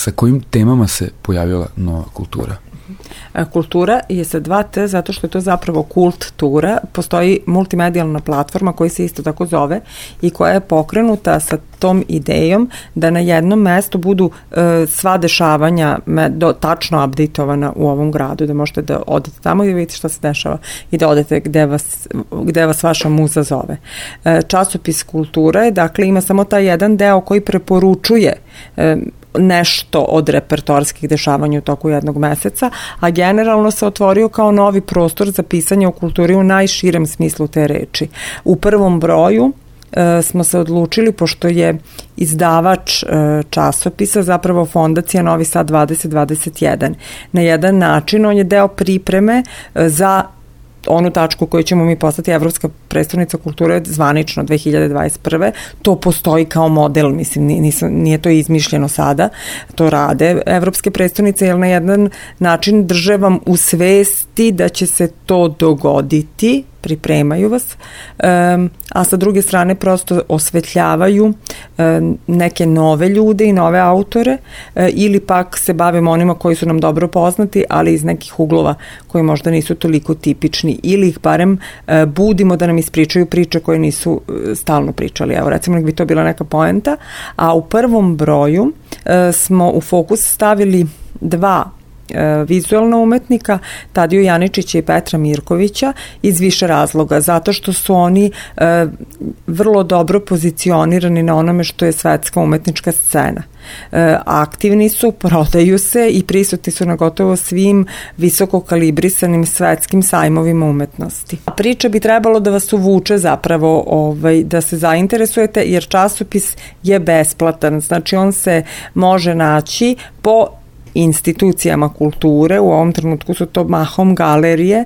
sa kojim temama se pojavila nova kultura? Kultura je sa 2T zato što je to zapravo kult tura. Postoji multimedijalna platforma koja se isto tako zove i koja je pokrenuta sa tom idejom da na jednom mestu budu sva dešavanja tačno updateovana u ovom gradu, da možete da odete tamo i da vidite šta se dešava i da odete gde vas vaša muza zove. Časopis kultura je, dakle, ima samo taj jedan deo koji preporučuje nešto od repertoarskih dešavanja u toku jednog meseca, a generalno se otvorio kao novi prostor za pisanje o kulturi u najširem smislu te reči. U prvom broju smo se odlučili, pošto je izdavač časopisa zapravo Fondacija Novi Sad 2021. Na jedan način on je deo pripreme za onu tačku koju ćemo mi postati Evropska prestonica kulture zvanično 2021. To postoji kao model, mislim, nije to izmišljeno sada, to rade Evropske prestonice, jer na jedan način drže vam u svesti da će se to dogoditi, pripremaju vas, a sa druge strane prosto osvetljavaju neke nove ljude i nove autore ili pak se bavimo onima koji su nam dobro poznati, ali iz nekih uglova koji možda nisu toliko tipični ili ih barem budimo da nam ispričaju priče koje nisu stalno pričali. Evo, recimo, nek bi to bila neka poenta, a u prvom broju smo u fokus stavili 2 vizualna umetnika, Tadiju Janičića i Petra Mirkovića, iz više razloga, zato što su oni vrlo dobro pozicionirani na onome što je svetska umetnička scena. Aktivni su, prodaju se i prisutni su na gotovo svim visoko kalibrisanim svetskim sajmovima umetnosti. Priča bi trebalo da vas uvuče zapravo, da se zainteresujete, jer časopis je besplatan, znači on se može naći po institucijama kulture, u ovom trenutku su to mahom galerije,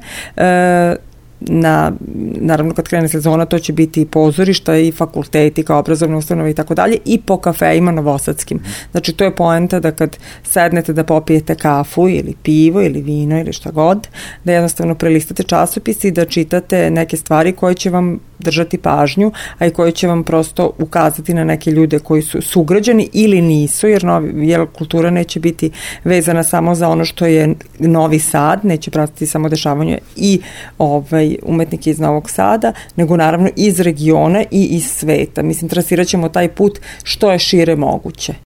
naravno kad krene sezona to će biti i pozorišta i fakulteti kao obrazovne ustanove i tako dalje, i po kafejima novosadskim. Znači to je poenta da kad sednete da popijete kafu ili pivo ili vino ili šta god, da jednostavno prelistate časopis i da čitate neke stvari koje će vam držati pažnju, a i koje će vam prosto ukazati na neke ljude koji su sugrađani ili nisu, jer kultura neće biti vezana samo za ono što je Novi Sad, neće pratiti samo dešavanje i umetnike iz Novog Sada, nego naravno iz regiona i iz sveta. Mislim, trasirat ćemo taj put što je šire moguće.